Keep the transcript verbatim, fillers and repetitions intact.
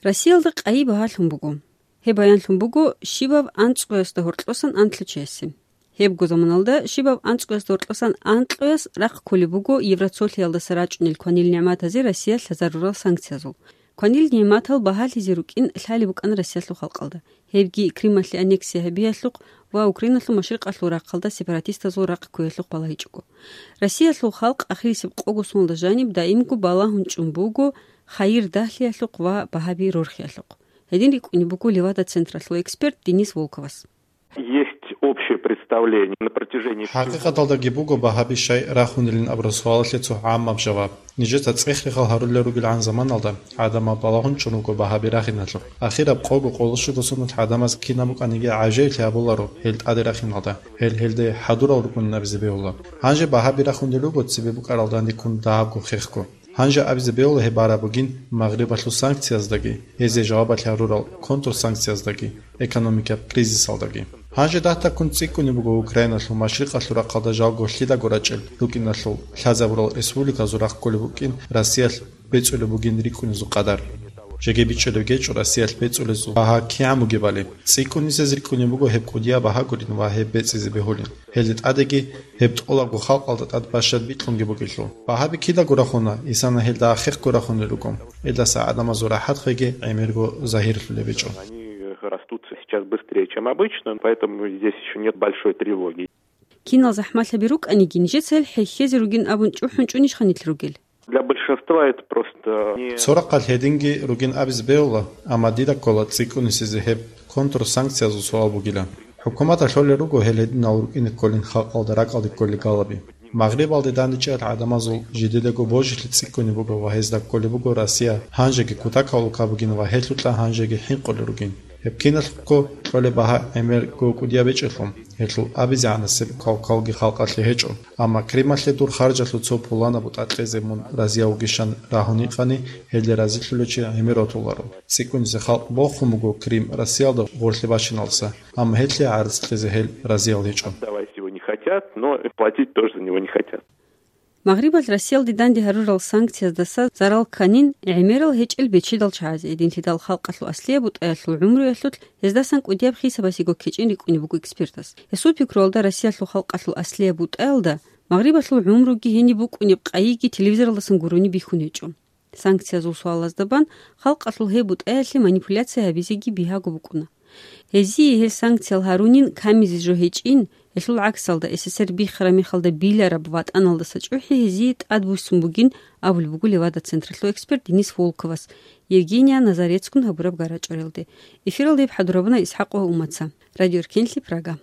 Россиялда къайи багьалъун буго. Гьеб баянлъун буго щибаб анцӀгоясда гьоркьосан анлъучиясе. Гьебго заманалда щибаб анцӀгоясда гьоркьосан анкьояс рахъ кколеб буго Евроцолъиялдаса рачӀунел кванил нигӀматазе Россия лъазарурал санкциязул. Кванил нигӀматал багьалъизе рукӀин лъалеб букӀана Россиялъул халкъалда. Гьебги Крымалъе аннексия гьабиялъухъ ва Украиналъул машрикъалъул рахъалда сепаратистазул рахъ ккуялъухъ балагьичӀого. Россиялъул халкъ ахирисеб къого соналда жаниб даимго балагьун чӀун буго хайир дагьлъиялъухъ ва багьаби рорхиялъухъ. Гьедин рикӀкӀунеб буго Левада-централъул эксперт Денис Волковас. Есть общее представление на протяжении всего ХӀакъикъаталдаги буго багьаби щай рахунилин абураб суалалъе цо гӀаммаб жаваб. Нижеца цӀех-рехал гьарулел ругелгӀан заманалда гӀадамал балагьун чӀун руго багьаби рахиналъухъ. Ахираб къого-къоло щуго соналъ гӀадамаз кинаб букӀаниги гӀажаиблъи гьабуларо гьел тӀаде рахиналда, гьел гьелде хӀадурал рукӀунин абизе бегьула. Гьанже багьаби рахунел руго цебе букӀарал данде ккун дагьабго хехго. Гьанже абизе бегьула гьеб бараб бугин Магърибалъул санкцияздаги, гьезие жавабалъе гьарурал контрсанкцияздаги, экономикаб кризисалдаги. Гьанже дагьаб ккун цӀикӀкӀунеб буго Украиналъул машрикъалъул рахъалда жалго лъидаго рачӀел рукӀиналъул лъазабурал республиказул рахъ кколеб букӀин Россиялъ бецӀулеб бугин рикӀкӀунезул къадар. Жеги бичӀчӀулеб гьечӀо Россиялъ бецӀулезул багьа кигӀан бугебали. ЦӀикӀкӀунисез рикӀкӀунеб буго гьеб кӀудияб багьа гурин ва гьеб бецӀизе бегьулин. Гьелде тӀадеги гьеб тӀолабго халкъалда тӀад бащад бикьунги бугелъул. Багьаби кидаго рахуна, исана гьелда ахехго рахунел руго. Гьелдаса гӀадамазул рахӀатхъеги гӀемерго загьирлъулеб гьечӀо. Они растут сейчас быстрее, чем обычно, поэтому здесь ещё нет большой тревоги. Кинал захӀмалъаби рукӀаниги, нижеца гьел хӀехьезе ругин абун чӀухӀун чӀунищха нилъ ругел? Для большинства это просто не Цо рахъалъ гьединги ругин абизе бегьула, амма дида ккола цӀикӀкӀунисезе гьеб контрсанкциязул суал бугилан. ХӀукуматалъ лъолел руго гьел гьединал рукӀине кколин халкъалда ракӀалде кколел галаби. Магърибалде данде чӀеялъ гӀадамазул жидедаго божилъи цӀикӀкӀунеб буго ва гьезда кколеб буго Россия гьанжеги кутакалда бугин ва гьелъукьа гьанжеги хӀинкъулел ругин. Гьеб киналъухъго кьолеб багьа гӀемерго кӀудияб гьечӀелъул, гьелъул абизегӀанасеб кавкалги халкъалъе гьечӀо. Амма Крымалъе дур харжалъул цо пуланаб бутӀа кьезе мун разияв вугищан рагьун гьикъани, гьелде разилъулев чи гӀемер ватуларо. ЦӀикӀкӀунизе халкъ бохун буго Крым Россиялда гъорлъе бачиналдаса, амма гьелъие гӀарцӀ кьезе гьел разиял гьечӀо. Отдавать его не хотят, но платить тоже за него не хотят. Магърибалъ Россиялде данде гьарурал санкцияздаса зарал кканин гӀемерал гьечӀел бечедал чагӀазе, гьединлъидал халкъалъул аслияб бутӀаялъул гӀумруялъулъ гьездасан кӀудияб хисабасего ккечӀин рикӀкӀунеб буго экспертас. Гьесул пикруялда, Россиялъул халкъалъул аслияб бутӀаялда Магърибалъул гӀумруги гьениб букӀунеб къайиги телевизоралдасан гурони бихьун гьечӀо. Санкциязул суалазда бан халкъалъул гьеб бутӀаялъе манипуляция гьабизеги бигьаго букӀуна. Гьезие гьел санкциял гьарунин камизе жо гьечӀин, гьелъул гӀаксалда, СССР биххараб мехалда билараб ватӀаналдаса чӀухӀи гьезие тӀадбуссун бугин абулеб буго Левада-централъул эксперт Денис Волковас, Евгения Назарецгун гьабураб гарачӀорелде. Эфиралда гьеб хӀадурабуна ИсхӀакъова Умаца. Радио Эркенлъи, Прага.